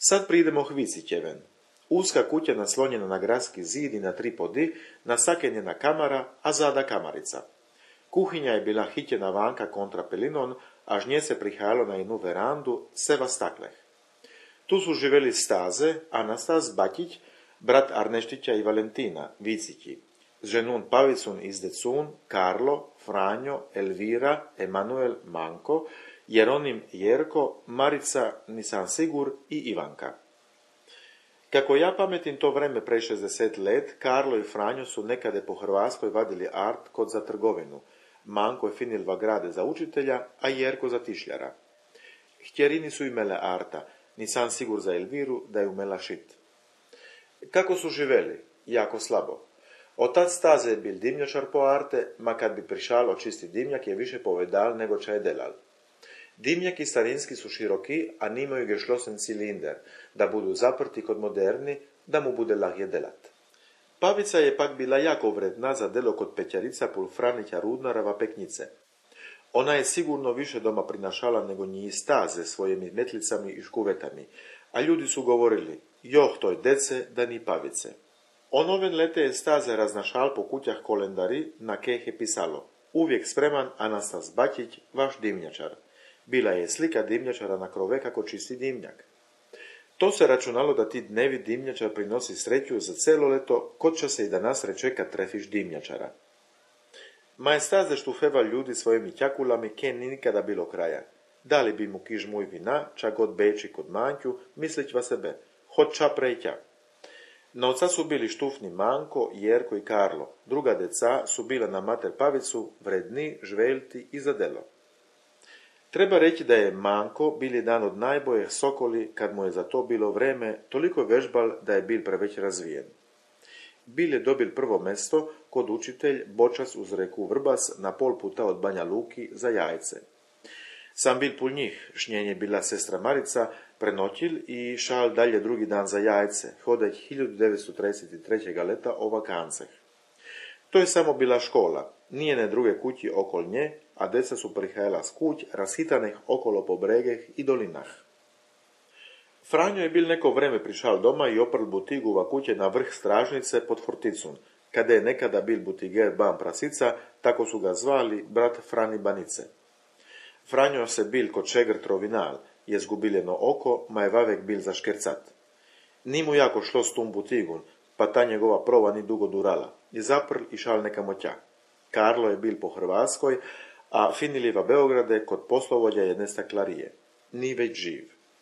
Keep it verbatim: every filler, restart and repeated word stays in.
Sad pridemo Hvicitjeven. Uska kuća naslonjena na gradski zid i na tri podi, nasakenjena kamara, a zada kamarica. Kuhinja je bila hitjena vanka kontra pelinon, a žnje se prihajalo na jednu verandu, seva stakleh. Tu su živeli Staze, Anastas Bakić, brat Arneštića i Valentina, Vicitji, s ženun Pavicun iz Decun, Karlo, Franjo, Elvira, Emanuel, Manko, Jeronim, Jerko, Marica, Nisan Sigur i Ivanka. Kako ja pametim to vreme pre šezdeset let, Karlo i Franjo su nekade po Hrvatskoj vadili art kod za trgovinu. Manko je finil vagrade za učitelja, a Jerko za tišljara. Htjerini su imele arta, Nisan Sigur za Elviru da je umela šit. Kako su živeli? Jako slabo. Otac Staze je bil dimnjačar po arte, ma kad bi prišalo čisti dimnjak je više povedal nego čaj delal. Dimnjaki starinski su široki, a nimaju gešlosen cilinder, da budu zaprti kod moderni, da mu bude lahje delat. Pavica je pak bila jako vredna za delo kod pećarica pul Franića Rudnarava peknice. Ona je sigurno više doma prinašala nego njih Staze svojim metlicami i škuvetami, a ljudi su govorili, joh toj dece da ni Pavice. Onoven lete je Staze raznašal po kućah kolendari, na keh je pisalo, uvijek spreman Anastas Bakić, vaš dimnjačar. Bila je slika dimnjačara na krove kako čisti dimnjak. To se računalo da ti dnevi dimnjačar prinosi sreću za celo leto, kod će se i danas reče kad trefiš dimnjačara. Ma je Staze štufeva ljudi svojimi ćakulami, ke ni nikada bilo kraja. Dali bi mu kiž muj vina, čak god beči kod manjku, mislić va sebe, hod ča prejća. Na oca su bili štufni Manko, Jerko i Karlo. Druga deca su bila na mater Pavicu, vredni, žveljti i za delo. Treba reći da je Manko bil jedan od najboljih sokoli kad mu je za to bilo vreme toliko vežbal da je bil preveć razvijen. Bil je dobil prvo mesto kod učitelj Bočas uz reku Vrbas na pol puta od Banja Luki za jajce. Sam bil pul njih, šnjenje bila sestra Marica, prenoćil i šal dalje drugi dan za jajce, hodać hiljadu devetsto trideset trećeg leta o vakanceh. To je samo bila škola, nijene druge kući okol nje, a deca su prihajala s kuć, rashitanih okolo po bregeh i dolinah. Franjo je bil neko vreme prišal doma i oprl butigu va kuće na vrh stražnice pod forticun, kada je nekada bil butiger Ban Prasica, tako su ga zvali brat Frani Banice. Franjo se bil kod šegr trovinal, je zgubiljeno oko, ma je vavek bil zaškercat. Ni mu jako šlo s tum butigun, pa ta njegova prova ni dugo durala, i zaprl i šal neka moća. Karlo je bil po Hrvatskoj, a finiliva Beograde kod poslovodja jedne staklarije. Ni već živ.